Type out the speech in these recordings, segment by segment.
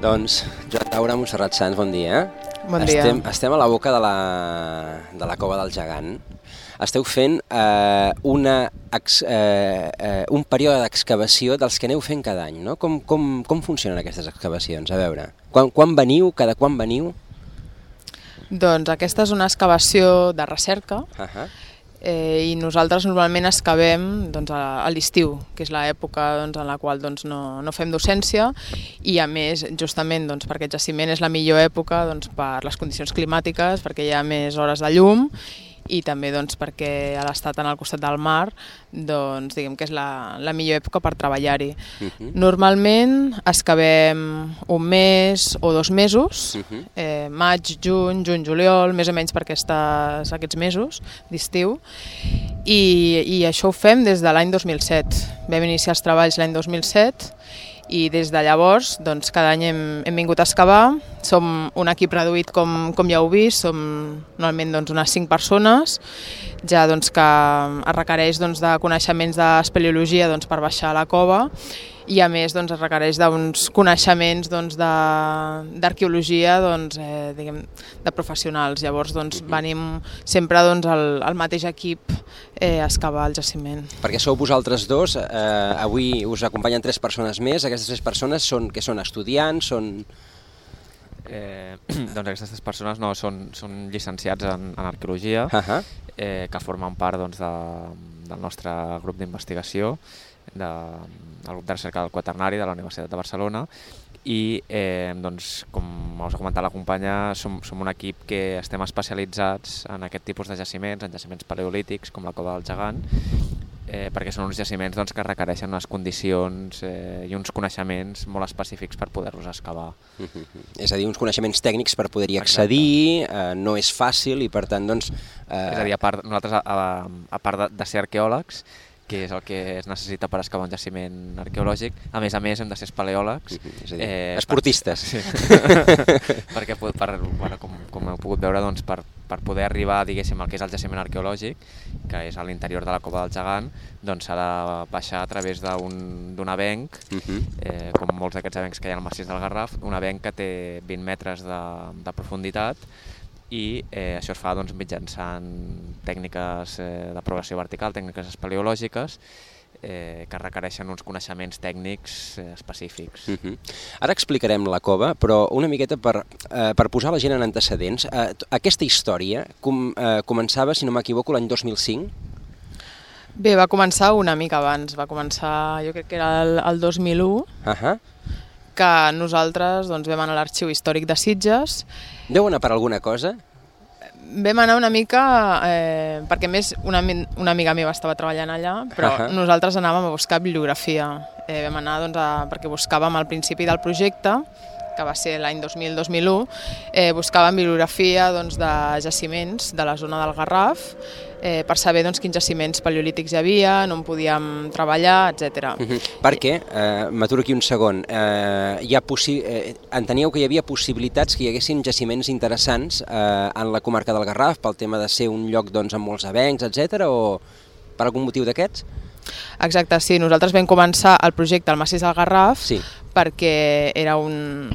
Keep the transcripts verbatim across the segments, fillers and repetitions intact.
Doncs, Joan Daura, Montserrat Sans, bon dia. Bon dia. Estem, estem a la boca de la, de la Cova del Gegant. Esteu fent eh, una, ex, eh, eh, un període d'excavació dels que aneu fent cada any, no? Com, com, com funcionen aquestes excavacions? A veure, quan, quan veniu, cada quan veniu? Doncs aquesta és una excavació de recerca. Uh-huh. Eh, i nosaltres normalment excavem doncs, a, a l'estiu, que és l'època doncs, en la qual doncs, no, no fem docència, i a més, justament doncs, perquè el jaciment és la millor època doncs, per les condicions climàtiques, perquè hi ha més hores de llum, i també doncs, perquè a l'estat en el costat del mar doncs, diguem que és la, la millor època per treballar-hi. Uh-huh. Normalment excavem un mes o dos mesos, uh-huh. eh, maig, juny, juny, juliol, més o menys per aquestes, aquests mesos d'estiu, i, i això ho fem des de l'any dos mil set. Vam iniciar els treballs l'any dos mil set, i des de llavors doncs, cada any hem, hem vingut a excavar. Som un equip reduït, com, com ja heu vist, som normalment doncs, unes cinc persones, ja doncs, que es requereix doncs, de coneixements d'espeleologia doncs, per baixar a la cova, i a més doncs, es requereix d'uns coneixements doncs, d'arqueologia doncs, eh, diguem, de professionals. Llavors doncs, venim sempre doncs, el, el mateix equip eh, a excavar el jaciment. Perquè sou vosaltres dos, eh, avui us acompanyen tres persones més. Aquestes tres persones són, que són estudiants, són... Eh, doncs aquestes tres persones no, són, són llicenciats en, en arqueologia, uh-huh. eh, que formen part doncs, de, del nostre grup d'investigació, de, del grup de recerca del Quaternari de la Universitat de Barcelona, i eh, doncs, com us ha comentat la companya, som, som un equip que estem especialitzats en aquest tipus de jaciments, en jaciments paleolítics com la Cova del Gegant, eh, perquè són uns jaciments doncs, que requereixen unes condicions eh, i uns coneixements molt específics per poder-los excavar. Uh-huh. És a dir, uns coneixements tècnics per poder-hi accedir, eh, no és fàcil i per tant doncs... Eh... És a dir, a part, nosaltres a, a, a part de, de ser arqueòlegs, que és el que es necessita per excavar un jaciment arqueològic. A més a més, hem de ser espeleòlegs. Mm-hmm. És a dir, eh, esportistes. Per, sí. Perquè, per, bueno, com, com heu pogut veure, doncs, per, per poder arribar diguéssim, al que és el jaciment arqueològic, que és a l'interior de la Cova del Gegant, doncs s'ha de baixar a través d'un avenc, mm-hmm. eh, com molts d'aquests avencs que hi ha al massís del Garraf, un avenc que té vint metres de, de profunditat, i eh, això es fa doncs, mitjançant tècniques eh, de progressió vertical, tècniques espeleològiques, eh, que requereixen uns coneixements tècnics eh, específics. Uh-huh. Ara explicarem la cova, però una miqueta per, eh, per posar la gent en antecedents. Eh, aquesta història com, eh, començava, si no m'equivoco, l'any dos mil cinc? Bé, va començar una mica abans, va començar, jo crec que era el, el dos mil u, uh-huh. que nosaltres doncs, vam anar a l'Arxiu Històric de Sitges. Deu anar per alguna cosa? Vam anar una mica, eh, perquè més una, una amiga meva estava treballant allà, però uh-huh. nosaltres anàvem a buscar bibliografia. Eh, vam anar doncs, a, perquè buscàvem al principi del projecte, que va ser l'any dos mil dos mil u, eh, buscàvem bibliografia doncs, de jaciments de la zona del Garraf, eh, per saber doncs, quins jaciments paleolítics hi havia, on podíem treballar, etcètera. Uh-huh. Perquè, eh, m'aturo aquí un segon, eh, hi ha possi eh, enteníeu que hi havia possibilitats que hi haguessin jaciments interessants eh, en la comarca del Garraf, pel tema de ser un lloc doncs, amb molts avencs, etcètera, o per algun motiu d'aquests? Exacte, sí. Nosaltres vam començar el projecte al massís del Garraf sí. perquè era un,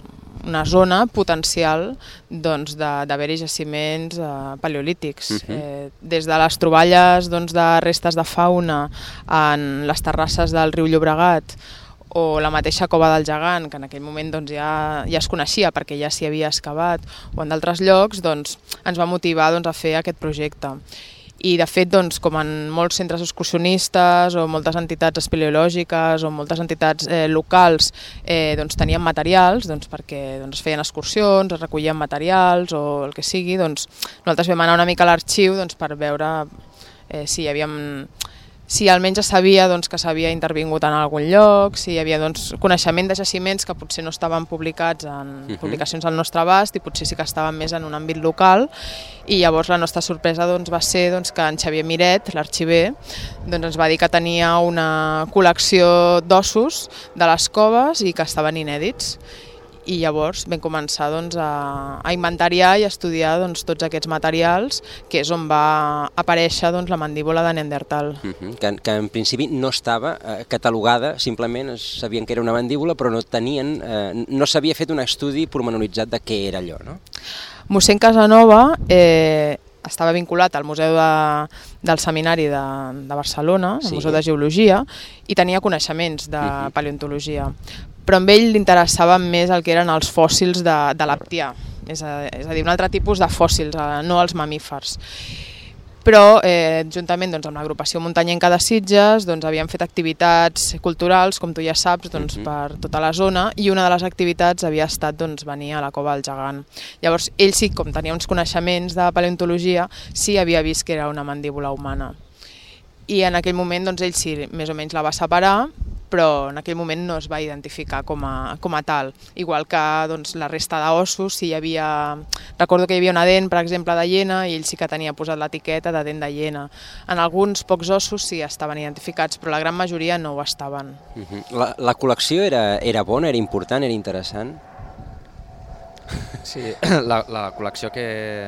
una zona potencial doncs, d'haver-hi jaciments eh, paleolítics. Uh-huh. eh, des de les troballes doncs, de restes de fauna en les terrasses del riu Llobregat o la mateixa Cova del Gegant, que en aquell moment doncs, ja, ja es coneixia perquè ja s'hi havia excavat, o en d'altres llocs, doncs, ens va motivar doncs, a fer aquest projecte. I de fet, doncs, com en molts centres excursionistes o moltes entitats espeleològiques o moltes entitats eh, locals eh, doncs, tenien materials doncs, perquè doncs, es feien excursions, es recollien materials o el que sigui, doncs, nosaltres vam anar una mica a l'arxiu doncs, per veure eh, si hi havia... si almenys es sabia doncs, que s'havia intervingut en algun lloc, si hi havia doncs, coneixement de jaciments que potser no estaven publicats en uh-huh. publicacions al nostre abast i potser sí que estaven més en un àmbit local, i llavors la nostra sorpresa doncs, va ser doncs, que en Xavier Miret, l'arxiver, doncs, ens va dir que tenia una col·lecció d'ossos de les coves i que estaven inèdits. i llavors vam començar doncs, a, a inventariar i a estudiar doncs, tots aquests materials, que és on va aparèixer doncs, la mandíbula de Neandertal. Uh -huh. que, que en principi no estava eh, catalogada, simplement sabien que era una mandíbula, però no tenien, eh, no s'havia fet un estudi pormenoritzat de què era allò, no? Mossèn Casanova eh, estava vinculat al Museu de, del Seminari de, de Barcelona, al sí. Museu de Geologia, i tenia coneixements de uh-huh. paleontologia. Però a ell li interessaven més el que eren els fòssils de, de l'Aptià, és a, és a dir, un altre tipus de fòssils, no els mamífers. Però eh, juntament doncs, amb l'agrupació muntanyenca de Sitges doncs, havíem fet activitats culturals, com tu ja saps, doncs, uh-huh. per tota la zona, i una de les activitats havia estat doncs, venir a la Cova del Gegant. Llavors ell sí, com tenia uns coneixements de paleontologia, sí havia vist que era una mandíbula humana. I en aquell moment doncs, ell sí, més o menys la va separar, però en aquell moment no es va identificar com a, com a tal. Igual que doncs, la resta d'ossos, si hi havia... Recordo que hi havia una dent, per exemple, de hiena, i ell sí que tenia posat l'etiqueta de dent de hiena. En alguns pocs ossos sí estaven identificats, però la gran majoria no ho estaven. Uh-huh. la, la col·lecció era, era bona, era important, era interessant? Sí, la, la col·lecció que,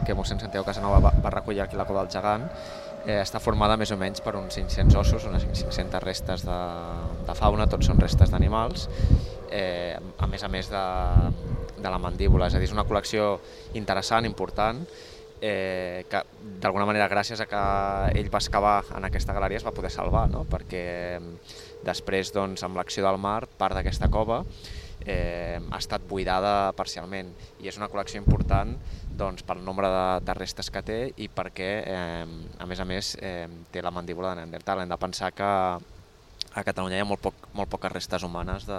que mossèn Santiago Casanova va, va recollir aquí a la Cova del Gegant Eh, està formada més o menys per uns cinc-cents ossos, unes cinc-centes restes de, de fauna, tots són restes d'animals, eh, a més a més de, de la mandíbula. És a dir, és una col·lecció interessant, important, eh, que d'alguna manera gràcies a que ell va excavar en aquesta galeria es va poder salvar, no? Perquè després, doncs, amb l'acció del mar, part d'aquesta cova eh, ha estat buidada parcialment i és una col·lecció important doncs, pel nombre de, de restes que té i perquè, eh, a més a més, eh, té la mandíbula de Neandertal. Hem de pensar que a Catalunya hi ha molt, poc, molt poques restes humanes de,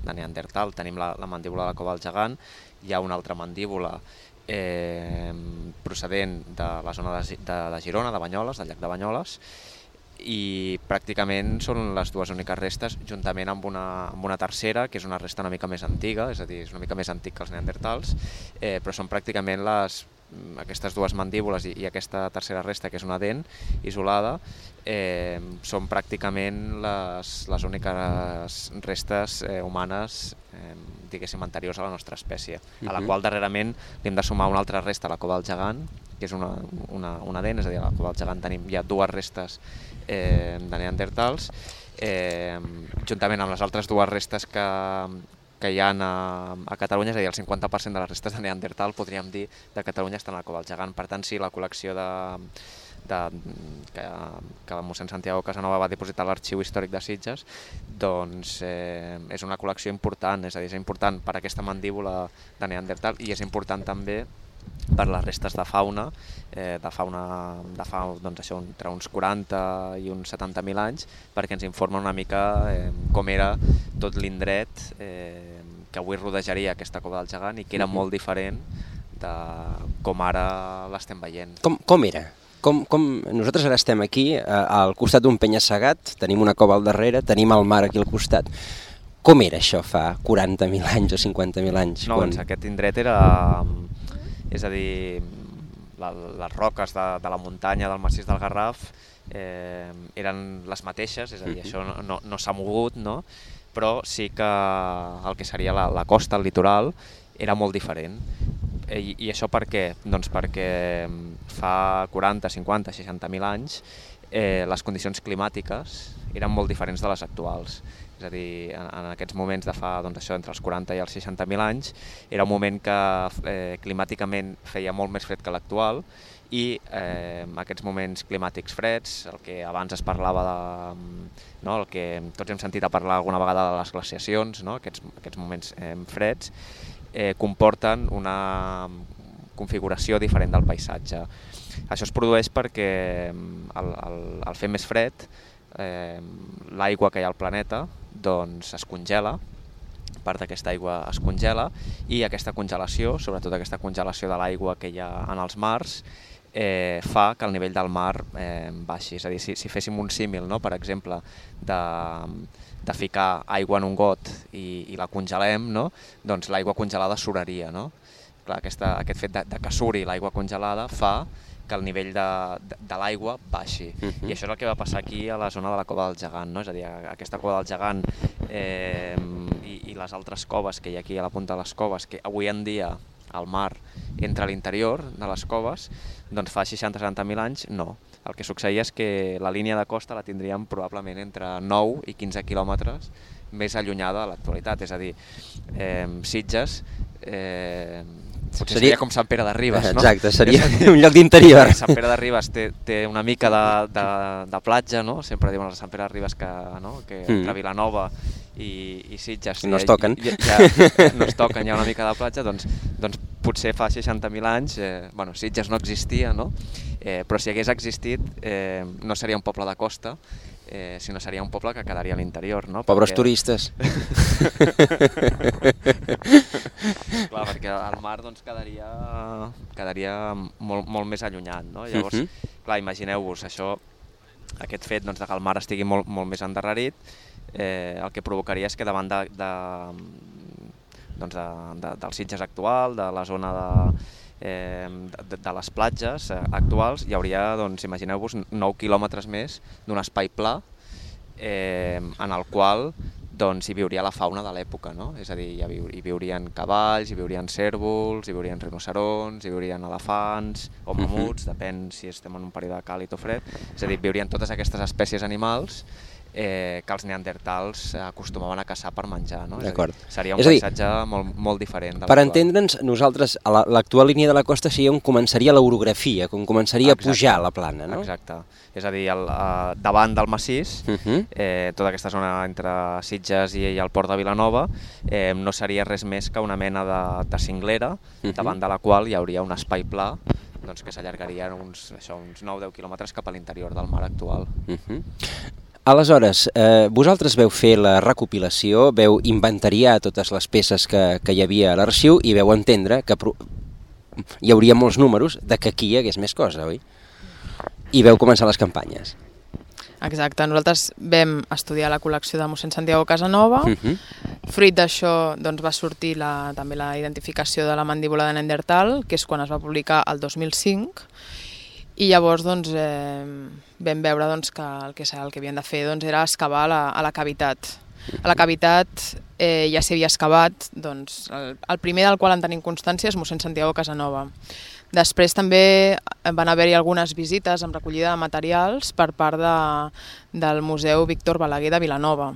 de Neandertal. Tenim la, la mandíbula de la Cova del Gegant, hi ha una altra mandíbula eh, procedent de la zona de, de, de Girona, de Banyoles, del llac de Banyoles, i pràcticament són les dues úniques restes, juntament amb una, amb una tercera, que és una resta una mica més antiga, és a dir, és una mica més antic que els neandertals, eh, però són pràcticament les, aquestes dues mandíbules i, i aquesta tercera resta, que és una dent isolada, eh, són pràcticament les, les úniques restes eh, humanes, eh, diguéssim, anteriors a la nostra espècie, a la qual darrerament li hem de sumar una altra resta a la Cova del Gegant, que és una, una, una dent, és a dir, a la Cova del Gegant tenim ja dues restes eh, de neandertals, eh, juntament amb les altres dues restes que, que hi ha a, a Catalunya, és a dir, el cinquanta per cent de les restes de neandertal, podríem dir, de Catalunya estan a la Cova del Gegant. Per tant, sí, la col·lecció de, de, que, que mossèn Santiago Casanova va dipositar a l'Arxiu Històric de Sitges, doncs eh, és una col·lecció important, és a dir, és important per aquesta mandíbula de neandertal i és important també per les restes de fauna, eh, de fauna de fa, doncs això, entre uns quaranta i uns setanta mil anys, perquè ens informa una mica eh, com era tot l'indret eh, que avui rodejaria aquesta Cova del Gegant i que era molt diferent de com ara l'estem veient. Com, com era? Com, com... Nosaltres ara estem aquí, al costat d'un penya-segat, tenim una cova al darrere, tenim el mar aquí al costat. Com era això fa quaranta mil anys o cinquanta mil anys? No, quan... doncs aquest indret era... És a dir, la, les roques de, de la muntanya del massís del Garraf eh, eren les mateixes, és a dir, això no, no, no s'ha mogut, no? Però sí que el que seria la, la costa, el litoral, era molt diferent. I, i això per què? Doncs perquè fa quaranta, cinquanta, seixanta mil anys eh, les condicions climàtiques eren molt diferents de les actuals. És a dir, en, en aquests moments de fa doncs això, entre els quaranta i els seixanta mil anys, era un moment que eh, climàticament feia molt més fred que l'actual i eh, aquests moments climàtics freds, el que abans es parlava de... No, el que tots hem sentit a parlar alguna vegada de les glaciacions, no? aquests, aquests moments eh, freds, eh, comporten una configuració diferent del paisatge. Això es produeix perquè al, al, al fer més fred, eh, l'aigua que hi ha al planeta doncs es congela, part d'aquesta aigua es congela i aquesta congelació, sobretot aquesta congelació de l'aigua que hi ha en els mars, eh, fa que el nivell del mar eh, baixi. És a dir, si, si féssim un símil, no? Per exemple, de, de ficar aigua en un got i, i la congelem, no? Doncs l'aigua congelada suraria. No? Clar, aquesta, aquest fet de, de que suri l'aigua congelada fa que el nivell de, de, de l'aigua baixi. Uh-huh. I això és el que va passar aquí a la zona de la Cova del Gegant, no? És a dir, aquesta Cova del Gegant eh, i, i les altres coves que hi ha aquí a la punta de les coves, que avui en dia el mar entra a l'interior de les coves, doncs fa seixanta a setanta mil anys no. El que succeïa és que la línia de costa la tindríem probablement entre nou i quinze quilòmetres més allunyada de l'actualitat, és a dir, eh, Sitges eh, potser seria com Sant Pere de Ribes, no? Exacte, seria un lloc d'interior. Sant Pere de Ribes té, té una mica de, de, de platja, no? Sempre diuen a Sant Pere de Ribes que, no? que mm. entre Vilanova i, i Sitges no es toquen. Ja, ja, no es toquen, hi ha una mica de platja, doncs, doncs potser fa seixanta mil anys, eh, bueno, Sitges no existia, no? Eh, però si hagués existit eh, no seria un poble de costa, eh, sinó seria un poble que quedaria a l'interior, no? Pobres perquè... turistes. Clar, perquè el mar doncs, quedaria, quedaria molt, molt més allunyat, no? Llavors, uh-huh. clar, imagineu-vos això, aquest fet doncs, de que el mar estigui molt, molt més endarrerit, eh, el que provocaria és que davant de, de, doncs de, de, del Sitges actual, de la zona de... Eh, de, de les platges eh, actuals hi hauria, doncs, imagineu-vos, nou quilòmetres més d'un espai pla eh, en el qual doncs, hi viuria la fauna de l'època, no? És a dir, hi, viu, hi viurien cavalls, hi viurien cérvols, hi viurien rinocerons, hi viurien elefants o mamuts, depèn si estem en un període càlid o fred, és a dir, viurien totes aquestes espècies animals Eh, que els neandertals acostumaven a caçar per menjar, no? És a dir, seria un paisatge molt, molt diferent. Per entendre'ns, nosaltres, a l'actual línia de la costa seria on començaria l'orografia, on començaria Exacte. a pujar la plana, no? Exacte. És a dir, el, uh, davant del massís, uh-huh. eh, tota aquesta zona entre Sitges i, i el port de Vilanova, eh, no seria res més que una mena de, de cinglera, uh-huh. davant de la qual hi hauria un espai pla doncs, que s'allargaria uns, això, uns nou a deu quilòmetres cap a l'interior del mar actual. Uh-huh. Aleshores, eh, vosaltres veu fer la recopilació, veu inventariar totes les peces que, que hi havia a l'arxiu i veu entendre que pro... hi hauria molts números de que aquí hi hagués més cosa, oi? I veu començar les campanyes. Exacte, nosaltres vam estudiar la col·lecció de mossèn Santiago Casanova, uh-huh. fruit d'això doncs, va sortir la, també la identificació de la mandíbula de Neandertal, que és quan es va publicar el dos mil cinc, i llavors doncs, eh, vam veure doncs, que el que, el que havien de fer doncs, era excavar a la, a la cavitat. A la cavitat eh, ja s'hi havia excavat, doncs, el, el primer del qual en tenim constància és mossèn Santiago Casanova. Després també van haver-hi algunes visites amb recollida de materials per part de, del Museu Víctor Balaguer de Vilanova.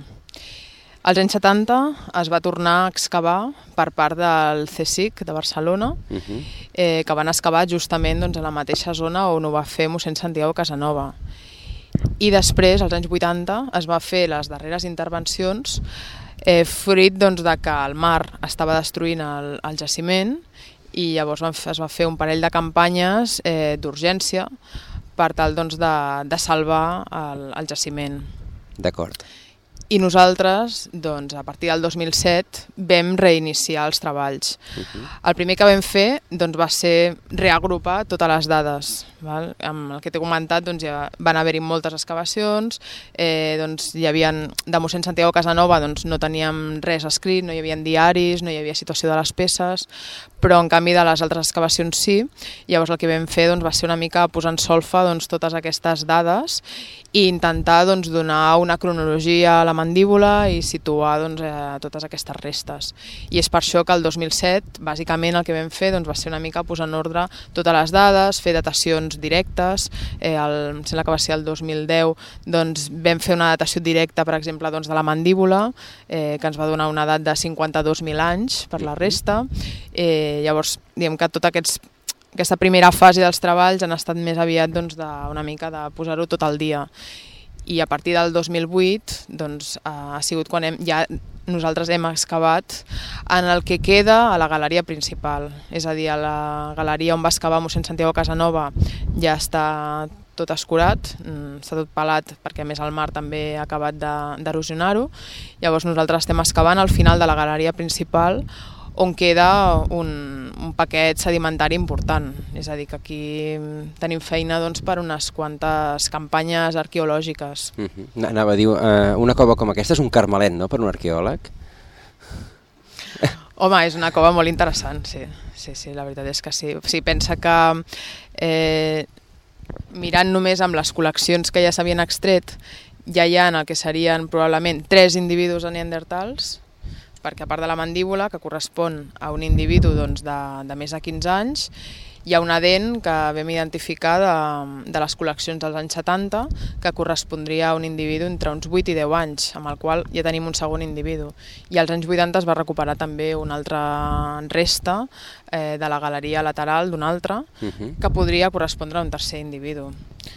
Als anys setanta es va tornar a excavar per part del C S I C de Barcelona, uh-huh. eh, que van excavar justament doncs, a la mateixa zona on ho va fer mossèn Santiago Casanova. I després, als anys vuitanta, es va fer les darreres intervencions eh, fruit doncs, de que el mar estava destruint el, el jaciment i llavors es va fer un parell de campanyes eh, d'urgència per tal doncs, de, de salvar el, el jaciment. D'acord. I nosaltres, doncs, a partir del dos mil set, vam reiniciar els treballs. Uh-huh. El primer que vam fer doncs, va ser reagrupar totes les dades. Val? Amb el que t'he comentat, doncs, ja van haver-hi moltes excavacions, eh, doncs, hi havia, de mossèn Santiago Casanova doncs, no teníem res escrit, no hi havia diaris, no hi havia situació de les peces, però en canvi de les altres excavacions sí. Llavors el que vam fer doncs, va ser una mica posar en solfa doncs, totes aquestes dades i intentar doncs, donar una cronologia a la mandíbula i situar doncs, eh, totes aquestes restes. I és per això que el dos mil set, bàsicament el que vam fer doncs, va ser una mica posar en ordre totes les dades, fer datacions directes. Eh, el, em sembla que va ser el dos mil deu, doncs, vam fer una datació directa, per exemple, doncs, de la mandíbula, eh, que ens va donar una edat de cinquanta-dos mil anys per la resta. Eh, llavors, diguem que tot aquests aquesta primera fase dels treballs han estat més aviat doncs, de, una mica de posar-ho tot al dia. I a partir del dos mil vuit doncs, ha sigut quan hem, ja nosaltres hem excavat en el que queda a la galeria principal. És a dir, a la galeria on va excavar mossèn Santiago Casanova ja està tot escurat, està tot pelat perquè a més el mar també ha acabat d'erosionar-ho. Llavors nosaltres estem excavant al final de la galeria principal on queda un, un paquet sedimentari important. És a dir, que aquí tenim feina doncs, per unes quantes campanyes arqueològiques. Uh-huh. Anava a dir, uh, una cova com aquesta és un carmelet, no?, per un arqueòleg? Home, és una cova molt interessant, sí. Sí, sí, la veritat és que sí. O sigui, pensa que eh, mirant només amb les col·leccions que ja s'havien extret, ja hi ha el que serien probablement tres individus de neandertals, perquè a part de la mandíbula, que correspon a un individu doncs, de, de més de quinze anys, hi ha una dent que vam identificar de, de les col·leccions dels anys setanta que correspondria a un individu entre uns vuit i deu anys, amb el qual ja tenim un segon individu. I als anys vuitanta es va recuperar també una altra resta eh, de la galeria lateral d'un altre uh-huh. que podria correspondre a un tercer individu.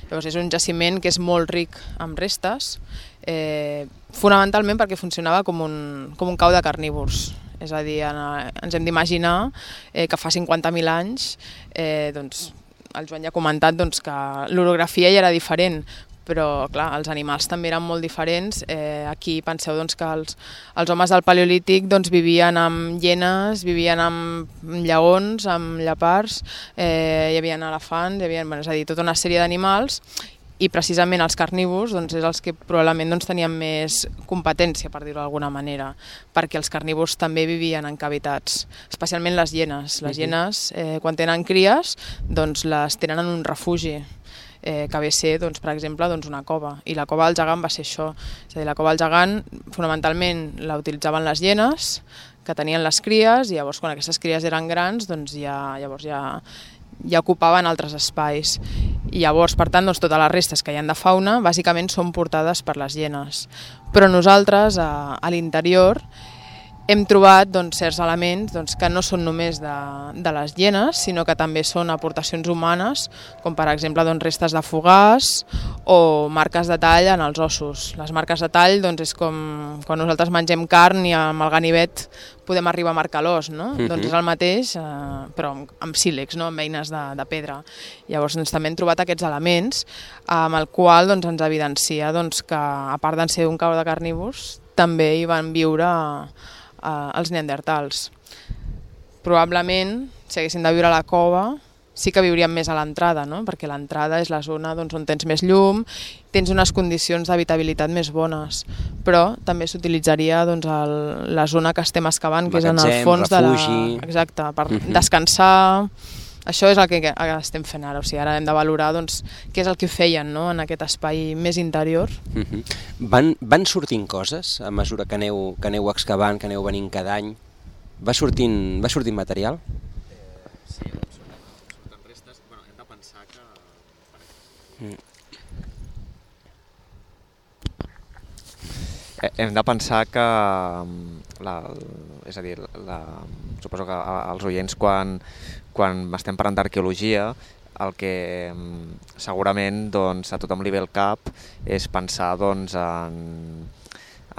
Llavors és un jaciment que és molt ric en restes, eh, fonamentalment perquè funcionava com un, com un cau de carnívors. És a dir, ens hem d'imaginar eh, que fa cinquanta mil anys, eh, doncs, el Joan ja ha comentat doncs, que l'orografia ja era diferent, però clar, els animals també eren molt diferents. Eh, aquí penseu doncs, que els, els homes del Paleolític doncs, vivien amb hienes, vivien amb lleons, amb lleopards, eh, hi havia elefants, hi havia, bueno, és a dir, tota una sèrie d'animals, i precisament els carnívors doncs, és els que probablement doncs, tenien més competència, per dir-ho d'alguna manera, perquè els carnívors també vivien en cavitats, especialment les hienes. Les hienes, eh, quan tenen cries, doncs, les tenen en un refugi, eh, que ve a ser, doncs, per exemple, doncs, una cova. I la cova del gegant va ser això. És a dir, la cova del gegant, fonamentalment, la utilitzaven les hienes, que tenien les cries, i llavors, quan aquestes cries eren grans, doncs, ja, llavors ja, ja ocupaven altres espais. I llavors, per tant, doncs, totes les restes que hi ha de fauna bàsicament són portades per les hienes. Però nosaltres, a, a l'interior, hem trobat doncs, certs elements doncs, que no són només de, de les hienes, sinó que també són aportacions humanes, com per exemple doncs, restes de fogars o marques de tall en els ossos. Les marques de tall doncs, és com quan nosaltres mengem carn i amb el ganivet podem arribar a marcar l'os, no? Uh-huh. Doncs és el mateix, eh, però amb, amb sílex, no? Amb eines de, de pedra. Llavors doncs, també hem trobat aquests elements amb el qual doncs, ens evidencia doncs, que a part de ser un cau de carnívors també hi van viure els neandertals. Probablement, si haguessin de viure a la cova, sí que viurien més a l'entrada, no? Perquè l'entrada és la zona doncs, on tens més llum, tens unes condicions d'habitabilitat més bones, però també s'utilitzaria doncs, el, la zona que estem excavant, que és en el fons refugi. de la... Exacte, per uh-huh. descansar. Això és el que estem fent ara, o sigui, ara hem de valorar doncs, què és el que feien no? En aquest espai més interior. Uh-huh. van, van sortint coses a mesura que aneu, que aneu excavant, que aneu venint cada any? Va sortint, va sortint material? Eh, sí, surten, surten restes. Bueno, hem de pensar que... Mm. Hem de pensar que, la, és a dir, la, suposo que els oients quan, quan estem parlant d'arqueologia, el que segurament doncs, a tothom li ve al cap és pensar doncs, en,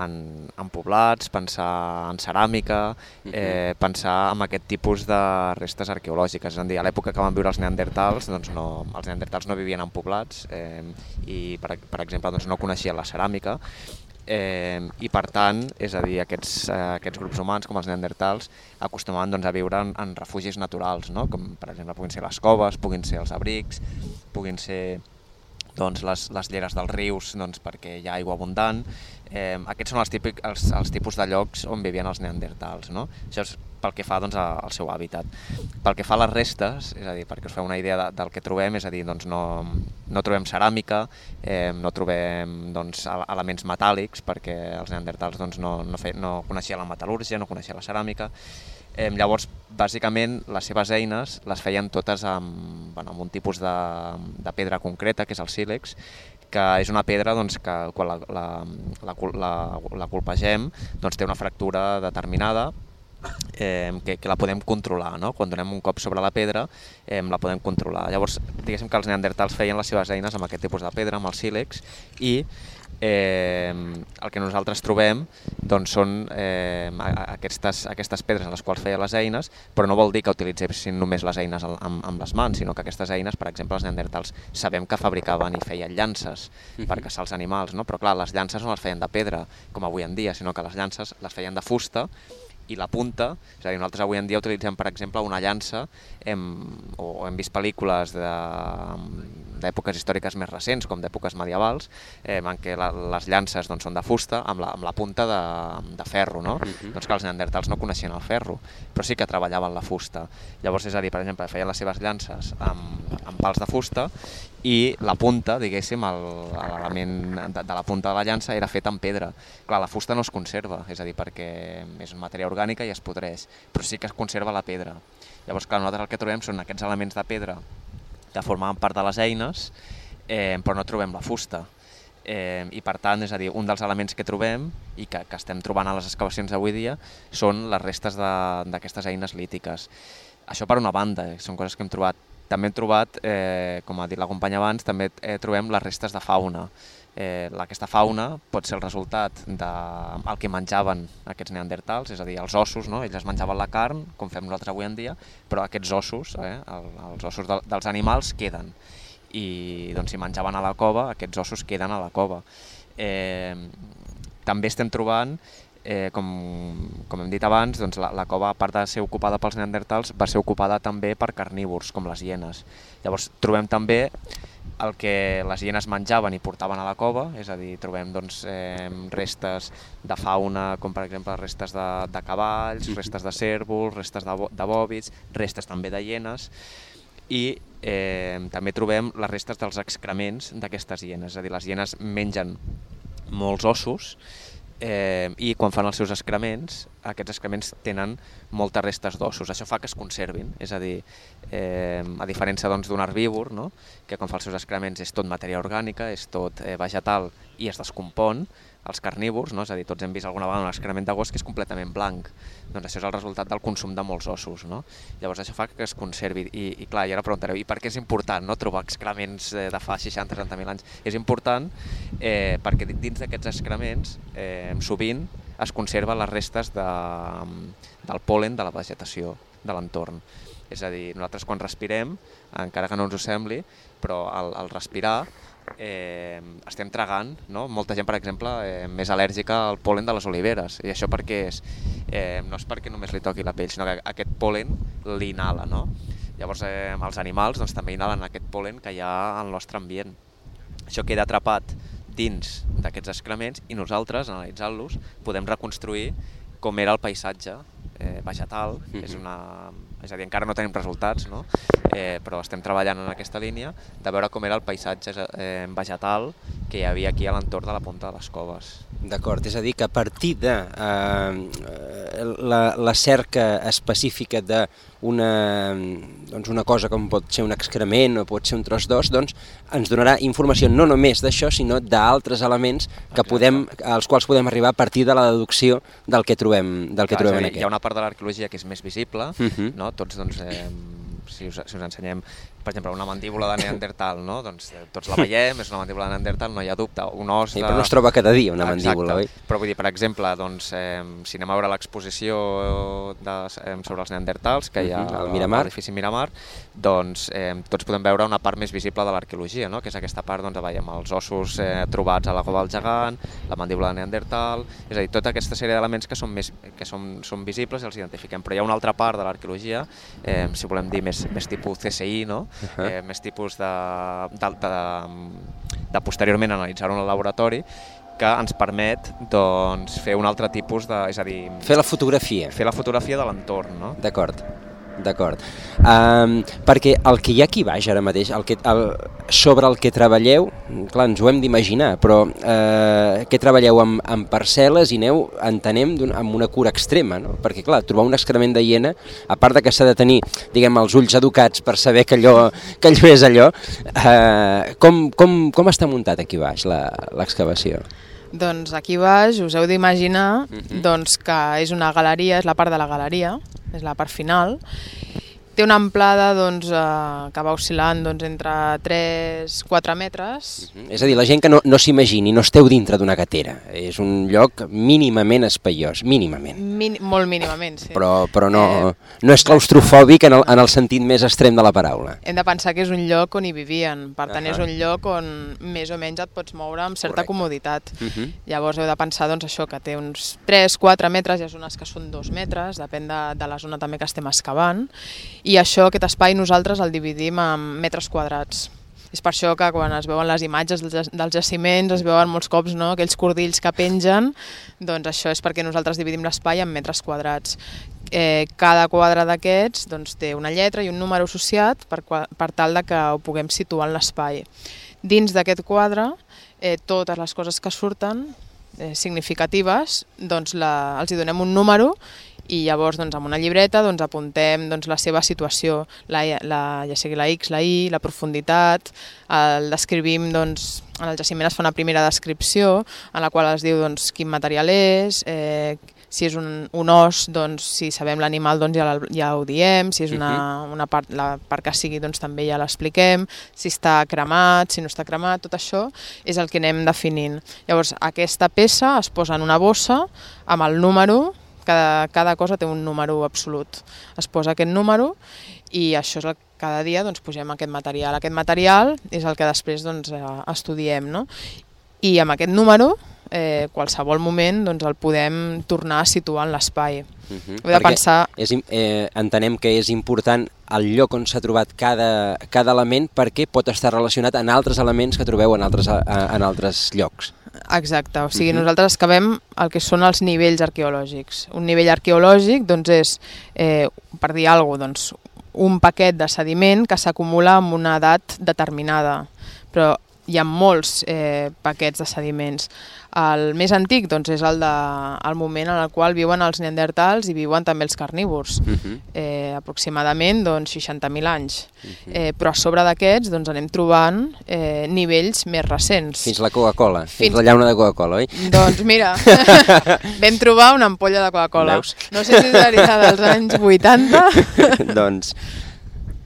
en, en poblats, pensar en ceràmica, eh, pensar en aquest tipus de restes arqueològiques. És a dir, a l'època que van viure els neandertals, doncs no, els neandertals no vivien en poblats eh, i, per, per exemple, doncs no coneixien la ceràmica. Eh, i per tant, és a dir, aquests, eh, aquests grups humans com els neandertals acostumaven doncs, a viure en, en refugis naturals, no? Com per exemple puguin ser les coves, puguin ser els abrics, puguin ser doncs, les, les lleres dels rius doncs, perquè hi ha aigua abundant. Eh, aquests són els, típic, els, els tipus de llocs on vivien els neandertals, no? Això és pel que fa doncs, al seu hàbitat. Pel que fa a les restes, és a dir, perquè us feu una idea de, del que trobem, és a dir, doncs no, no trobem ceràmica, eh, no trobem doncs, elements metàl·lics, perquè els neandertals doncs, no, no, fe, no coneixien la metal·lúrgia, no coneixien la ceràmica. Eh, llavors, bàsicament, les seves eines les feien totes amb, bueno, amb un tipus de, de pedra concreta, que és el sílex, que és una pedra doncs, que quan la, la, la, la, la colpegem doncs, té una fractura determinada, Eh, que, que la podem controlar, no? Quan donem un cop sobre la pedra eh, la podem controlar. Llavors, diguéssim que els neandertals feien les seves eines amb aquest tipus de pedra, amb el sílex, i eh, el que nosaltres trobem doncs, són eh, aquestes, aquestes pedres en les quals feien les eines, però no vol dir que utilitzessin només les eines amb, amb les mans, sinó que aquestes eines, per exemple, els neandertals sabem que fabricaven i feien llances uh-huh. per caçar els animals, no? Però clar, les llances no les feien de pedra, com avui en dia, sinó que les llances les feien de fusta, i la punta, és a dir, nosaltres avui en dia utilitzem, per exemple, una llança, hem, o hem vist pel·lícules de, d'èpoques històriques més recents, com d'èpoques medievals, eh, en què la, les llances doncs, són de fusta amb la, amb la punta de, de ferro, no? Uh-huh. Doncs que els neandertals no coneixien el ferro, però sí que treballaven la fusta. Llavors, és a dir, per exemple, feien les seves llances amb, amb pals de fusta i la punta, diguéssim, l'element de, de la punta de la llança era fet amb pedra. Clar, la fusta no es conserva, és a dir, perquè és una matèria orgànica i es podreix, però sí que es conserva la pedra. Llavors, clar, nosaltres el que trobem són aquests elements de pedra que formaven part de les eines, eh, però no trobem la fusta. Eh, I per tant, és a dir, un dels elements que trobem i que, que estem trobant a les excavacions d'avui dia són les restes d'aquestes eines lítiques. Això per una banda, eh, són coses que hem trobat. També hem trobat, eh, com ha dit la companya abans, també eh, trobem les restes de fauna. Eh, aquesta fauna pot ser el resultat del que menjaven aquests neandertals, és a dir, els ossos, no? Ells es menjaven la carn, com fem nosaltres avui en dia, però aquests ossos, eh, el, els ossos de, dels animals queden. I doncs, si menjaven a la cova, aquests ossos queden a la cova. Eh, també estem trobant, eh, com, com hem dit abans, doncs la, la cova, a part de ser ocupada pels neandertals, va ser ocupada també per carnívors, com les hienes. Llavors trobem també el que les hienes menjaven i portaven a la cova, és a dir, trobem doncs, eh, restes de fauna, com per exemple restes de, de cavalls, restes de cérvols, restes de, de bòvids, restes també de hienes, i eh, també trobem les restes dels excrements d'aquestes hienes, és a dir, les hienes mengen molts ossos, Eh, i quan fan els seus excrements, aquests excrements tenen moltes restes d'ossos. Això fa que es conservin, és a dir, eh, a diferència doncs, d'un herbívor, no? Que quan fa els seus excrements és tot matèria orgànica, és tot eh, vegetal i es descompon, els carnívors, no? És a dir, tots hem vist alguna vegada un excrement de gos que és completament blanc. Doncs això és el resultat del consum de molts ossos, no? Llavors això fa que es conservi. I, i clar, i ara preguntareu, i per què és important, no? Trobar excrements de fa seixanta setanta mil anys? És important eh, perquè dins d'aquests excrements eh, sovint es conserven les restes de, del pol·len de la vegetació de l'entorn. És a dir, nosaltres quan respirem, encara que no ens ho sembli, però al, al respirar Eh, estem tragant, no? Molta gent, per exemple, eh, més al·lèrgica al pol·len de les oliveres. I això per què és? Eh, no és perquè només li toqui la pell, sinó que aquest pol·len l'inhala, no? Llavors eh, els animals doncs, també inhalen aquest pol·len que hi ha al nostre ambient. Això queda atrapat dins d'aquests excrements i nosaltres, analitzant-los, podem reconstruir com era el paisatge eh, vegetal. Mm-hmm. És una... És a dir, encara no tenim resultats, no? eh, però estem treballant en aquesta línia de veure com era el paisatge eh, vegetal que hi havia aquí a l'entorn de la Punta de les Coves. D'acord, és a dir, que a partir de eh, la, la cerca específica d'una doncs una cosa com pot ser un excrement o pot ser un tros d'os, doncs ens donarà informació no només d'això, sinó d'altres elements que podem, als quals podem arribar a partir de la deducció del que trobem, del que Clar, trobem dir, en aquest. Hi ha una part de l'arqueologia que és més visible, uh-huh. no? Tots, doncs, eh, si, us, si us ensenyem, per exemple, una mandíbula de neandertal, no? Doncs eh, tots la veiem, és una mandíbula de neandertal, no hi ha dubte, un os de... Sí, però no es troba cada dia una mandíbula, oi? Però vull dir, per exemple, doncs, eh, si anem a veure l'exposició de, eh, sobre els neandertals que hi ha uh-huh. al Miramar, a l'edifici Miramar, doncs eh, tots podem veure una part més visible de l'arqueologia, no? Que és aquesta part, doncs, veiem els ossos eh, trobats a la cova del gegant, la mandíbula de neandertal, és a dir, tota aquesta sèrie d'elements que són més que són, són visibles i els identifiquem. Però hi ha una altra part de l'arqueologia, eh, si volem dir més, més tipus C S I, no? Uh-huh. eh, més tipus de, de, de, de posteriorment analitzar-ho en el laboratori, que ens permet doncs, fer un altre tipus de... És a dir... Fer la fotografia. Fer la fotografia de l'entorn, no? D'acord. D'acord. Um, perquè el que hi ha aquí baix ara mateix, el que, el, sobre el que treballeu, clar, ens ho hem d'imaginar, però eh, que treballeu amb, amb parcel·les i aneu, entenem, amb una cura extrema, no? Perquè, clar, trobar un excrement de hiena, a part de que s'ha de tenir, diguem, els ulls educats per saber que allò, que allò és allò, eh, com, com, com està muntat aquí baix l'excavació? Doncs aquí baix us heu d'imaginar uh-huh. doncs, que és una galeria, és la part de la galeria, és la part final. Té una amplada doncs, eh, que va oscil·lant doncs, entre tres a quatre metres. Uh-huh. És a dir, la gent que no, no s'imagini, no esteu dintre d'una gatera. És un lloc mínimament espaiós, mínimament. Min molt mínimament, sí. Però, però no, eh, no és claustrofòbic en el, en el sentit més extrem de la paraula. Hem de pensar que és un lloc on hi vivien. Per tant, uh-huh. és un lloc on més o menys et pots moure amb certa Correcte. Comoditat. Uh-huh. Llavors heu de pensar doncs, això, que té uns tres a quatre metres, hi ha zones que són dos metres, depèn de, de la zona també que estem excavant. I això, aquest espai, nosaltres el dividim en metres quadrats. És per això que quan es veuen les imatges dels jaciments es veuen molts cops, no?, aquells cordills que pengen, doncs això és perquè nosaltres dividim l'espai en metres quadrats. Eh, cada quadre d'aquests doncs, té una lletra i un número associat per, per tal de que ho puguem situar en l'espai. Dins d'aquest quadre, eh, totes les coses que surten eh, significatives, doncs la, els hi donem un número i llavors doncs, amb una llibreta doncs, apuntem doncs, la seva situació, la, la, ja sigui la X, la Y, la profunditat, el descrivim, doncs, en el jaciment es fa una primera descripció en la qual es diu doncs, quin material és, eh, si és un, un os, doncs, si sabem l'animal doncs, ja, ja ho diem, si és una, una part, la part que sigui doncs, també ja l'expliquem, si està cremat, si no està cremat, tot això és el que anem definint. Llavors aquesta peça es posa en una bossa amb el número. Cada, cada cosa té un número absolut. Es posa aquest número i això és el que cada dia doncs, posem aquest material. Aquest material és el que després doncs, estudiem, no? I amb aquest número, eh, qualsevol moment, doncs, el podem tornar a situar en l'espai. Uh-huh. He de pensar... és, eh, entenem que és important el lloc on s'ha trobat cada, cada element perquè pot estar relacionat amb altres elements que trobeu en altres, en altres llocs. Exacte, o sigui, uh-huh. nosaltres excavem el que són els nivells arqueològics. Un nivell arqueològic doncs, és, eh, per dir alguna cosa, doncs, un paquet de sediment que s'acumula en una edat determinada, però hi ha molts eh, paquets de sediments. El més antic doncs, és el, de, el moment en el qual viuen els neandertals i viuen també els carnívors, uh-huh. eh, aproximadament doncs, seixanta mil anys. Uh-huh. eh, però a sobre d'aquests doncs, anem trobant eh, nivells més recents. Fins la Coca-Cola, fins, fins la llauna de Coca-Cola, oi? Doncs mira, vam trobar una ampolla de Coca-Cola. No sé si seria dels anys vuitanta. Doncs...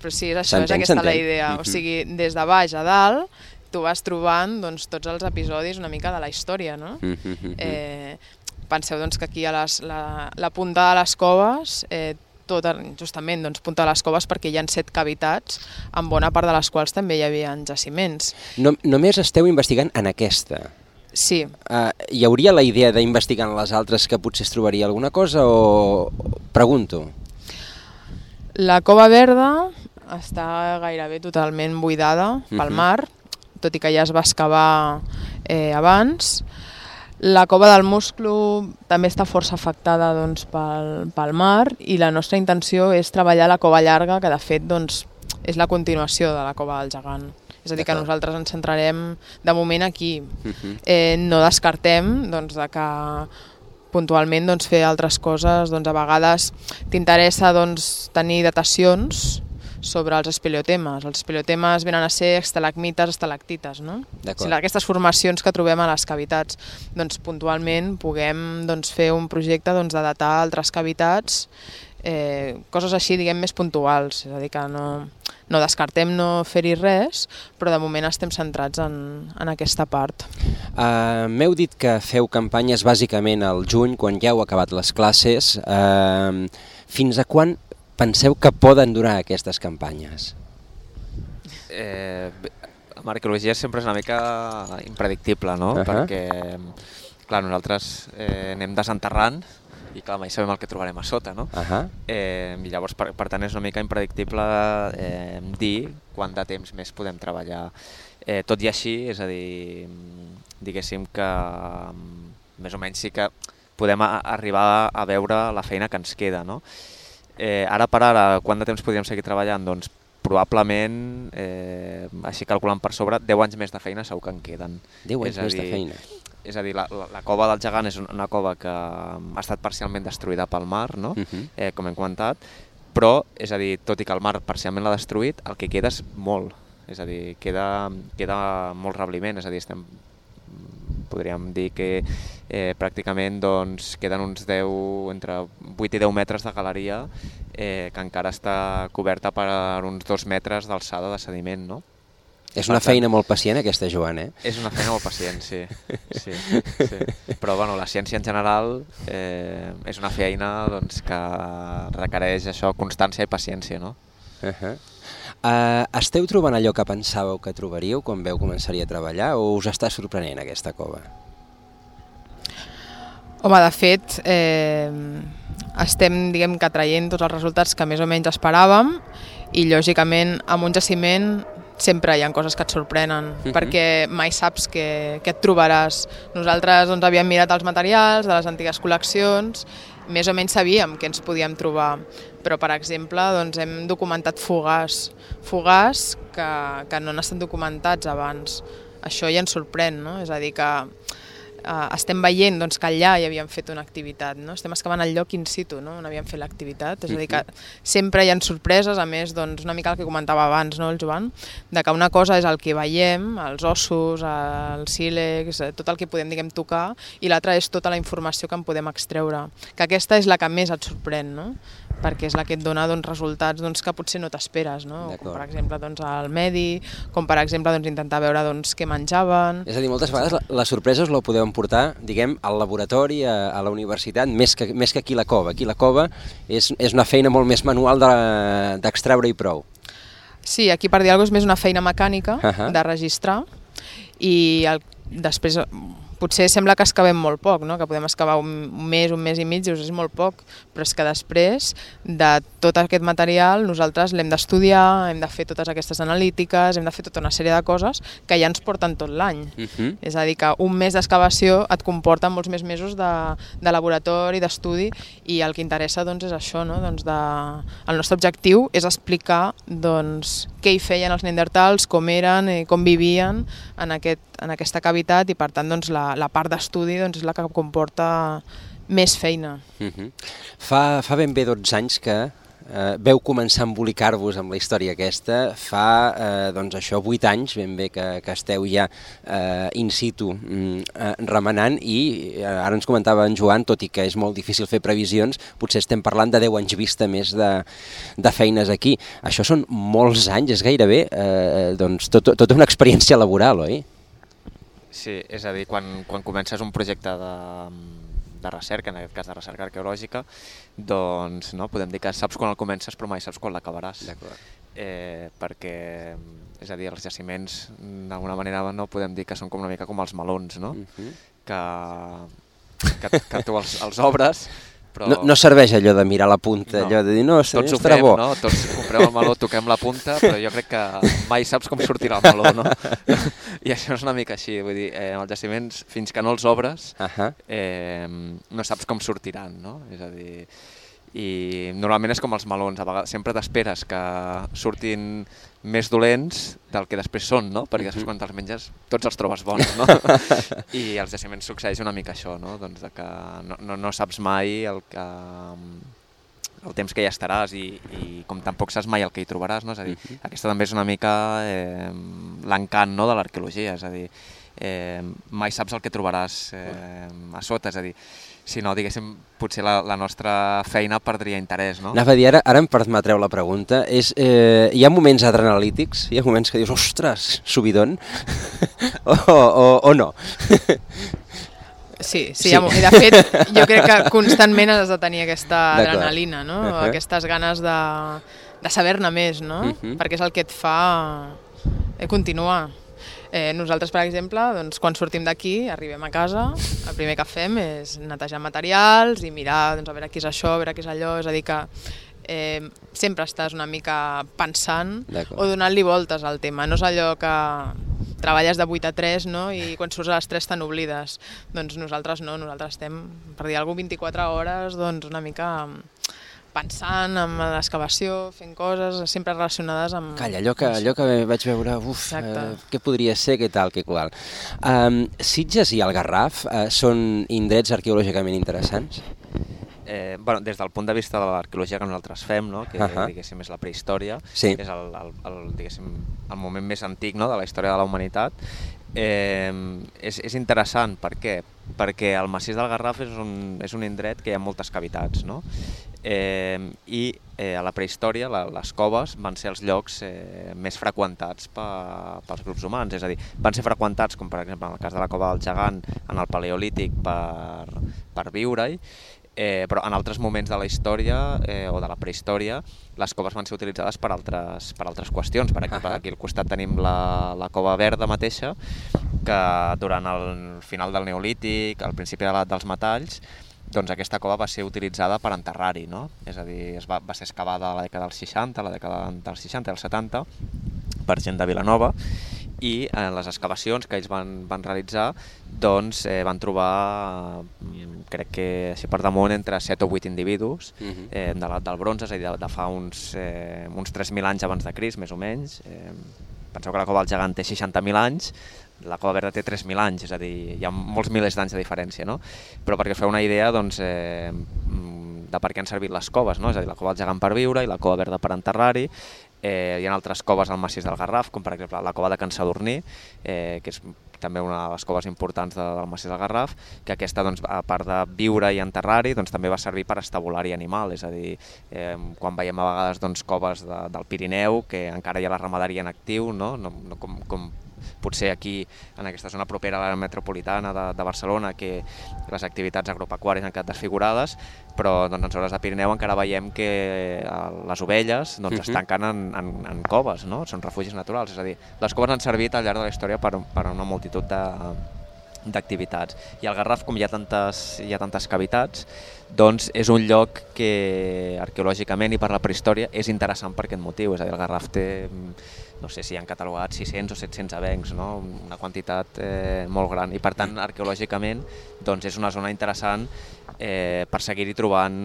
Però sí, és això, és aquesta la idea. Uh-huh. O sigui, des de baix a dalt, tu vas trobant doncs, tots els episodis una mica de la història, no? Mm-hmm. Eh, penseu doncs, que aquí a les, la, la punta de les coves, eh, tot, justament doncs, punta de les coves perquè hi ha set cavitats, en bona part de les quals també hi havia jaciments. No, només esteu investigant en aquesta? Sí. Uh, hi hauria la idea d'investigar en les altres que potser es trobaria alguna cosa o... Pregunto. La Cova Verda està gairebé totalment buidada pel mm-hmm. mar, tot i que ja es va excavar eh, abans. La cova del Musclo també està força afectada doncs, pel, pel mar i la nostra intenció és treballar la cova llarga, que de fet doncs, és la continuació de la cova del Gegant. És a dir, que nosaltres ens centrarem de moment aquí. Uh-huh. eh, no descartem doncs, de que puntualment doncs, fer altres coses. Doncs, a vegades t'interessa doncs, tenir datacions sobre els espeleotemes. Els espeleotemes venen a ser estalagmites, estalactites, no? O sigui, aquestes formacions que trobem a les cavitats. Doncs puntualment puguem doncs, fer un projecte doncs, de datar altres cavitats, eh, coses així, diguem, més puntuals. És a dir, que no, no descartem no fer-hi res, però de moment estem centrats en, en aquesta part. Uh, M'heu dit que feu campanyes bàsicament al juny, quan ja heu acabat les classes. Uh, fins a quan penseu que poden durar aquestes campanyes? Eh, amb arqueologia sempre és una mica impredictible, no? Uh-huh. Perquè, clar, nosaltres eh, anem desenterrant i clar, mai sabem el que trobarem a sota, no? Uh-huh. eh, I llavors, per, per tant, és una mica impredictible eh, dir quant de temps més podem treballar. Eh, tot i així, és a dir, diguéssim que més o menys sí que podem a, arribar a veure la feina que ens queda, no? Eh, ara per ara, quant de temps podríem seguir treballant? Doncs probablement, eh, així calculant per sobre, deu anys més de feina segur que en queden. deu anys més dir, de feina. És a dir, la, la, la cova del Gegant és una cova que ha estat parcialment destruïda pel mar, no? Uh-huh. eh, com hem comentat, però, és a dir, tot i que el mar parcialment l'ha destruït, el que queda és molt. És a dir, queda, queda molt rebliment, és a dir, estem... podríem dir que eh, pràcticament doncs, queden uns deu, entre vuit i deu metres de galeria eh, que encara està coberta per uns dos metres d'alçada de sediment, no? És una tant, feina molt pacient aquesta, Joan, eh? És una feina molt pacient, sí. sí, sí. Però bueno, la ciència en general eh, és una feina doncs, que requereix això, constància i paciència, no? Uh-huh. Uh, esteu trobant allò que pensàveu que trobaríeu quan veu començaria a treballar o us està sorprenent aquesta cova? Home, de fet, eh, estem diguem que traient tots els resultats que més o menys esperàvem i lògicament amb un jaciment sempre hi ha coses que et sorprenen, uh-huh. perquè mai saps què, què et trobaràs. Nosaltres doncs, havíem mirat els materials de les antigues col·leccions, més o menys sabíem què ens podíem trobar, però per exemple doncs, hem documentat fogars, fogars que, que no han estat documentats abans. Això ja ens sorprèn, no? És a dir, que uh, estem veient doncs, que allà hi havíem fet una activitat, no? Estem excavant el lloc in situ, no? On havíem fet l'activitat, és a dir, que sempre hi ha sorpreses, a més, doncs, una mica el que comentava abans, no, el Joan, de que una cosa és el que veiem, els ossos, el sílex, tot el que podem, diguem, tocar, i l'altra és tota la informació que en podem extreure, que aquesta és la que més et sorprèn, no? Perquè és la que et dona doncs, resultats doncs, que potser no t'esperes, no? Com per exemple doncs, el medi, com per exemple doncs, intentar veure doncs, què menjaven... És a dir, moltes vegades la, la sorpresa us la podeu emportar, diguem, al laboratori, a, a la universitat, més que, més que aquí la cova. Aquí la cova és, és una feina molt més manual d'extreure de, i prou. Sí, aquí per dir alguna cosa és més una feina mecànica, uh-huh. de registrar, i el, després... Potser sembla que excavem molt poc, no? Que podem excavar un mes, un mes i mig, dius, és molt poc, però és que després de tot aquest material nosaltres l'hem d'estudiar, hem de fer totes aquestes analítiques, hem de fer tota una sèrie de coses que ja ens porten tot l'any. Uh-huh. És a dir, que un mes d'excavació et comporta molts més mesos de, de laboratori, d'estudi, i el que interessa doncs, és això, no? Doncs de... el nostre objectiu és explicar doncs, què hi feien els neandertals, com eren, com vivien en, aquest, en aquesta cavitat, i per tant doncs, la la part d'estudi doncs, és la que comporta més feina. Uh-huh. Fa, fa ben bé dotze anys que eh, veu començar a embolicar-vos amb la història aquesta. Fa eh, doncs això, vuit anys ben bé que, que esteu ja eh, in situ eh, remenant, i eh, ara ens comentava en Joan, tot i que és molt difícil fer previsions, potser estem parlant de deu anys vista més de, de feines aquí. Això són molts anys, és gairebé eh, doncs, tot, tota una experiència laboral, oi? Sí, és a dir, quan, quan comences un projecte de, de recerca, en aquest cas de recerca arqueològica, doncs no, podem dir que saps quan el comences però mai saps quan l'acabaràs. Eh, perquè, és a dir, els jaciments d'alguna manera no podem dir que són com una mica com els melons, no? Uh-huh. que, que, que tu els, els obres, però... No, no serveix allò de mirar la punta, no. Allò de dir, no, tots ho fem, bo. No? Tots comprem el meló, toquem la punta, però jo crec que mai saps com sortirà el meló, no? I això és una mica així, vull dir, eh, els jaciments, fins que no els obres, uh-huh. eh, no saps com sortiran, no? És a dir, i normalment és com els melons, a vegades sempre t'esperes que surtin més dolents del que després són, no? Perquè després quan te'ls menges tots els trobes bons, no? I als jaciments succeeix una mica això, no? Doncs de que no, no, no saps mai el, que, el temps que hi estaràs, i, i com tampoc saps mai el que hi trobaràs, no? És a dir, uh-huh. aquesta també és una mica eh, l'encant, no? De l'arqueologia, és a dir, eh, mai saps el que trobaràs eh, a sota, és a dir, si no, diguéssim, potser la, la nostra feina perdria interès, no? Anava a dir, ara, ara em permetreu la pregunta, és, eh, hi ha moments adrenalítics, hi ha moments que dius, ostres, subidon, o, o, o no? Sí, sí, sí. I de fet, jo crec que constantment has de tenir aquesta adrenalina, no? Uh-huh. Aquestes ganes de, de saber-ne més, no? Uh-huh. Perquè és el que et fa continuar. Eh, nosaltres, per exemple, doncs, quan sortim d'aquí, arribem a casa, el primer que fem és netejar materials i mirar doncs, a veure què és això, a veure què és allò, és a dir que eh, sempre estàs una mica pensant o donant-li voltes al tema. No és allò que treballes de vuit a tres, no? I quan surts a les tres te n'oblides. Doncs nosaltres no, nosaltres estem, per dir alguna cosa, vint-i-quatre hores, doncs una mica pensant en l'excavació, fent coses sempre relacionades amb... Calla, allò que, allò que vaig veure, uf, eh, què podria ser, què tal, què qual. Um, Sitges i el Garraf eh, són indrets arqueològicament interessants? Eh, bueno, des del punt de vista de l'arqueologia que nosaltres fem, no? Que uh-huh. diguéssim és la prehistòria, sí. És el, el, el, diguéssim, el moment més antic, no? De la història de la humanitat, eh, és, és interessant. Per què? Perquè el massís del Garraf és un, és un indret que hi ha moltes cavitats, no? Eh, i eh, a la prehistòria la, les coves van ser els llocs eh, més freqüentats pe, pels grups humans, és a dir, van ser freqüentats, com per exemple en el cas de la cova del Gegant, en el Paleolític per, per viure-hi, eh, però en altres moments de la història eh, o de la prehistòria les coves van ser utilitzades per altres, per altres qüestions. Per exemple, aquí al costat tenim la, la cova verda mateixa, que durant el final del Neolític, al principi de l'edat dels metalls, doncs aquesta cova va ser utilitzada per enterrar-hi, no? És a dir, es va, va ser excavada a la dècada dels seixanta, a la dècada dels seixanta i els setanta, per gent de Vilanova, i en les excavacions que ells van, van realitzar doncs eh, van trobar, crec que així per damunt, entre set o vuit individus eh, de l'edat del bronze, és a dir, de, de fa uns, eh, uns tres mil anys abans de Crist, més o menys. Eh, penseu que la cova del Gegant té seixanta mil anys, la cova verda té tres mil anys, és a dir, hi ha molts milers d'anys de diferència, no? Però perquè us feu una idea, doncs, eh, de per què han servit les coves, no? És a dir, la cova del Gegant per viure i la cova verda per enterrar-hi. Eh, hi ha altres coves al massís del Garraf, com per exemple la cova de Can Sadurní, eh, que és també una de les coves importants de, del massís del Garraf, que aquesta, doncs, a part de viure i enterrar-hi, doncs, també va servir per estabular-hi animal, és a dir, eh, quan veiem a vegades doncs, coves de, del Pirineu, que encara hi ha la ramaderia en actiu, no? No, no com, com potser aquí, en aquesta zona propera a la metropolitana de, de Barcelona, que les activitats agropecuàries han quedat desfigurades, però doncs, en zones de Pirineu encara veiem que les ovelles doncs, uh-huh. es tanquen en, en, en coves, no? Són refugis naturals, és a dir, les coves han servit al llarg de la història per, per una multitud de, d'activitats. I al Garraf, com hi ha tantes, hi ha tantes cavitats, doncs és un lloc que arqueològicament i per la prehistòria és interessant per aquest motiu, és a dir, el Garraf té, no sé si han catalogat sis-cents o set-cents avencs, no? Una quantitat eh, molt gran, i per tant arqueològicament doncs, és una zona interessant eh, per seguir-hi trobant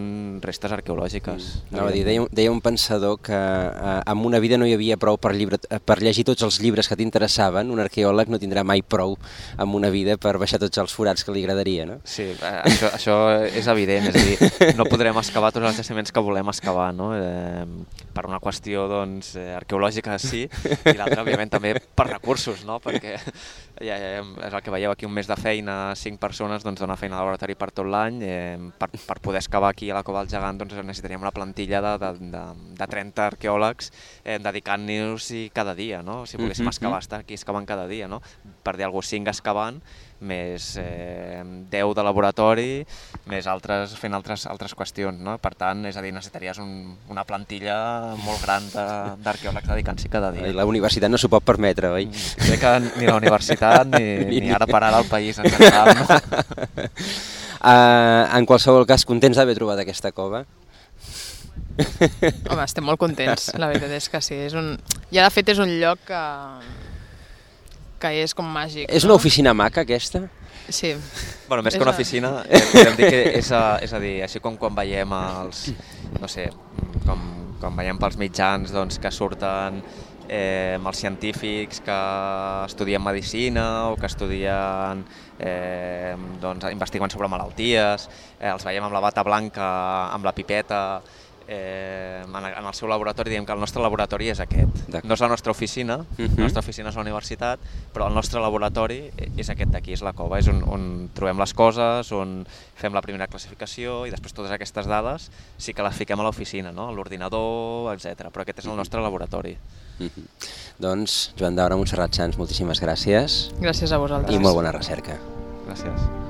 restes arqueològiques. Mm. No, dir, deia, deia un pensador que eh, amb una vida no hi havia prou per, llibre, per llegir tots els llibres que t'interessaven, un arqueòleg no tindrà mai prou amb una vida per baixar tots els forats que li agradaria, no? Sí, eh, això, això és evident, és a dir, no podrem excavar tots els jaciments que volem excavar, no? Eh, per una qüestió doncs, arqueològica sí, i l'altra òbviament també per recursos, no? Perquè ja, ja, és el que veieu aquí, un mes de feina, cinc persones doncs, dona feina al laboratori per tot l'any. Eh, per, per poder excavar aquí a la Cova del Gegant doncs, necessitaríem una plantilla de, de, de, de trenta arqueòlegs eh, dedicant-nos-hi cada dia, no? Si volguéssim excavar, estar aquí excavant cada dia, no? Per dir alguna cosa, cinc excavant, més eh, deu de laboratori, més altres fent altres, altres qüestions, no? Per tant, és a dir, necessitaries un, una plantilla molt gran d'arqueòlegs dedicant-s'hi cada dia. I la universitat no s'ho pot permetre, oi? Crec que ni la universitat ni, ni, ni ara per ara el país en general, no? Uh, en qualsevol cas, contents d'haver trobat aquesta cova? Home, estem molt contents, la veritat és que sí. És un... Ja de fet és un lloc que... que és com màgic. És no? una oficina maca, aquesta? Sí. Bueno, més és que una oficina, eh, podem dir que és a, és a dir, així com quan veiem els, no sé, com, com veiem pels mitjans doncs, que surten eh, els científics que estudien medicina o que estudien, eh, doncs, investiguen sobre malalties, eh, els veiem amb la bata blanca, amb la pipeta, Eh, en el seu laboratori. Diem que el nostre laboratori és aquest. No és la nostra oficina, uh-huh. La nostra oficina és la universitat, però el nostre laboratori és aquest d'aquí, és la cova, és on, on trobem les coses, on fem la primera classificació i després totes aquestes dades sí que les fiquem a l'oficina, no? A l'ordinador, etcètera. Però aquest és el nostre laboratori. Uh-huh. Doncs, Joan Daura, Montserrat Sans, moltíssimes gràcies. Gràcies a vosaltres. I molt bona recerca. Gràcies.